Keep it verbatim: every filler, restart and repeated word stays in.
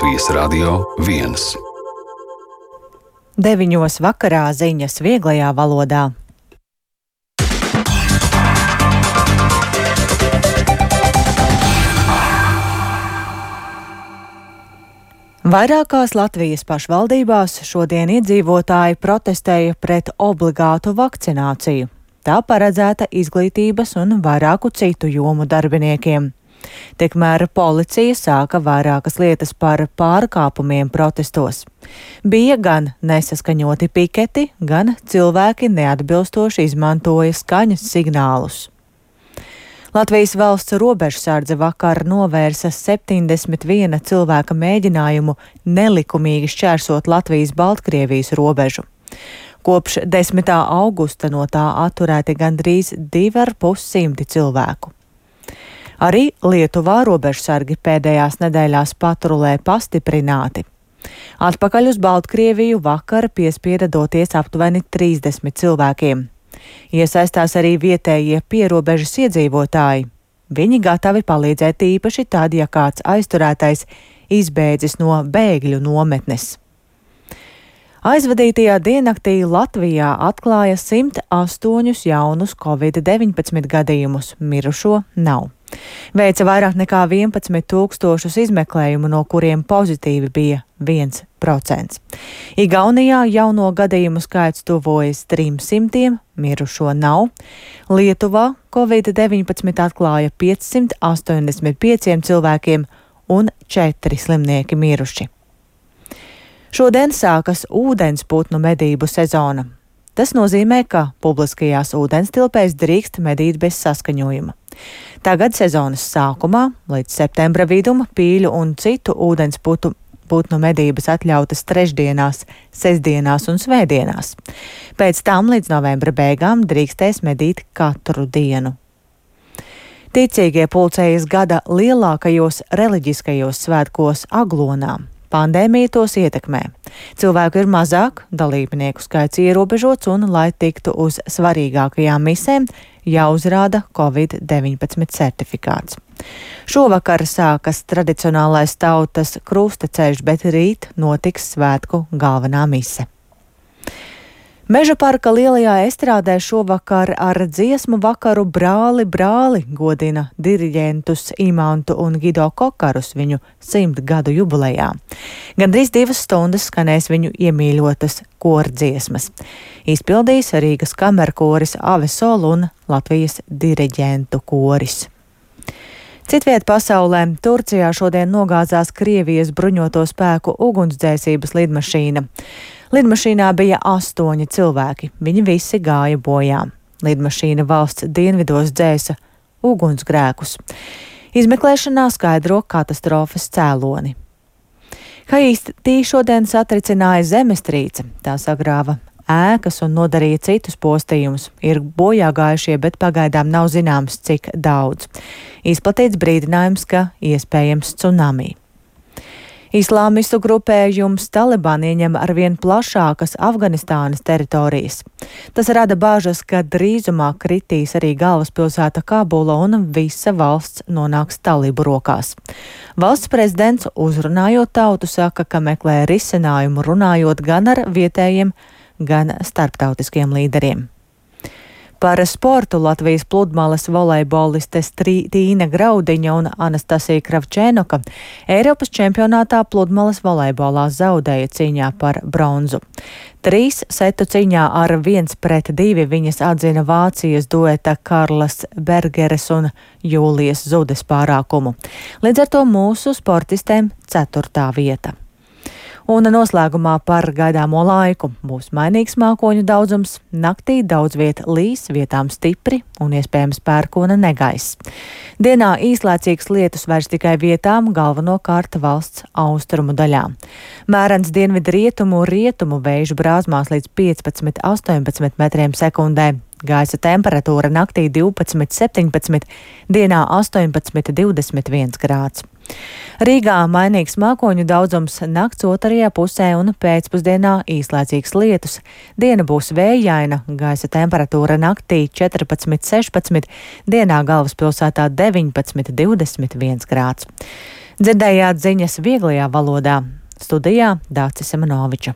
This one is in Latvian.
Latvijas Radio viens. Deviņos vakarā ziņas vieglajā valodā. Vairākās Latvijas pašvaldībās šodien iedzīvotāji protestēja pret obligātu vakcināciju. Tā paredzēta izglītības un vairāku citu jomu darbiniekiem. Tikmēr policija sāka vairākas lietas par pārkāpumiem protestos. Bija gan nesaskaņoti piketi, gan cilvēki neatbilstoši izmantoja skaņas signālus. Latvijas valsts robežsardze vakar novērsa septiņdesmit viena cilvēka mēģinājumu nelikumīgi šķērsot Latvijas-Baltkrievijas robežu. Kopš desmitā augusta no tā atturēti gandrīz divi ar pus simti cilvēku. Arī Lietuvā robežsargi pēdējās nedēļās patrulē pastiprināti. Atpakaļ uz Baltkrieviju vakar piespieda doties aptuveni trīsdesmit cilvēkiem. Iesaistās arī vietējie pierobežas iedzīvotāji. Viņi gatavi palīdzēt īpaši tad, ja kāds aizturētais izbēdzis no bēgļu nometnes. Aizvadītajā diennaktī Latvijā atklāja simt astoņus jaunus covid deviņpadsmit gadījumus, mirušo nav. Veica vairāk nekā vienpadsmit tūkstošus izmeklējumu, no kuriem pozitīvi bija viens procents. Igaunijā jauno gadījumu skaits tuvojas trim simtiem, mirušo nav. Lietuvā covid deviņpadsmit atklāja piecsimt astoņdesmit pieciem cilvēkiem un četri slimnieki miruši. Šodien sākas ūdensputnu medību sezona. Tas nozīmē, ka publiskajās ūdenstilpēs drīkst medīt bez saskaņojuma. Tagad sezonas sākumā, līdz septembra vidum, pīļu un citu ūdensputnu putnu medības atļautas trešdienās, sestdienās un svētdienās. Pēc tam līdz novembra beigām drīkstēs medīt katru dienu. Ticīgie pulcējas gada lielākajos reliģiskajos svētkos Aglonā. Pandēmija tos ietekmē. Cilvēku ir mazāk, dalībnieku skaits ierobežots un, lai tiktu uz svarīgākajām misēm, jāuzrāda covid deviņpadsmit certifikāts. Šovakar sākas tradicionālais tautas krustaceļš, bet rīt notiks svētku galvenā mise. Meža parka lielajā estrādē šovakar ar dziesmu vakaru Brāli, brāli godina diriģentus Imantu un Gido Kokarus viņu simt gadu jubilejā. Gandrīz divas stundas skanēs viņu iemīļotas kordziesmas. Izpildīs Rīgas kamerkoris Avesol un Latvijas diriģentu koris. Citviet pasaulē Turcijā šodien nogāzās Krievijas bruņoto spēku ugunsdzēsības lidmašīna. Lidmašīnā bija astoņi cilvēki, viņi visi gāja bojā. Lidmašīna valsts dienvidos dzēsa ugunsgrēkus. Izmeklēšanā skaidro katastrofas cēloni. Haitī šodien satricināja zemestrīce, tā sagrāva ēkas un nodarīja citus postījumus. Ir bojā gājušie, bet pagaidām nav zināms, cik daudz. Izplatīts brīdinājums, ka iespējams tsunami. Islāmistu grupējums Taliban ieņem arvien plašākas Afganistānas teritorijas. Tas rada bāžas, ka drīzumā kritīs arī galvaspilsēta Kabula un visa valsts nonāks talibu rokās. Valsts prezidents, uzrunājot tautu, saka, ka meklē risinājumu runājot gan ar vietējiem, gan starptautiskiem līderiem. Par sportu Latvijas pludmales volejbolistes Tīna Graudiņa un Anastasija Kravčēnoka Eiropas čempionātā pludmales volejbolā zaudēja cīņā par bronzu. Trīs setu cīņā ar viens pret divi viņas atzina Vācijas dueta Karlas Bergeres un Jūlijas Zudes pārākumu. Līdz ar to mūsu sportistēm ceturtā vieta. Un noslēgumā par gaidāmo laiku. Būs mainīgs mākoņu daudzums, naktī daudz viet līs, vietām stipri un iespējams pērkona negaiss. Dienā īslaicīgs lietus vairs tikai vietām, galvenokārt valsts austrumu daļā. Mērens dienvidu rietumu rietumu vēju brāzmās līdz piecpadsmit līdz astoņpadsmit metriem sekundē. Gaisa temperatūra naktī divpadsmit septiņpadsmit, dienā astoņpadsmit divdesmit viens grāds. Rīgā mainīgs mākoņu daudzums, nakts otrajā pusē un pēcpusdienā īslaicīgs lietus. Diena būs vējaina, gaisa temperatūra naktī četrpadsmit sešpadsmit, dienā galvaspilsētā deviņpadsmit divdesmit viens grāds. Dzirdējāt ziņas vieglajā valodā. Studijā Dācis Semenoviča.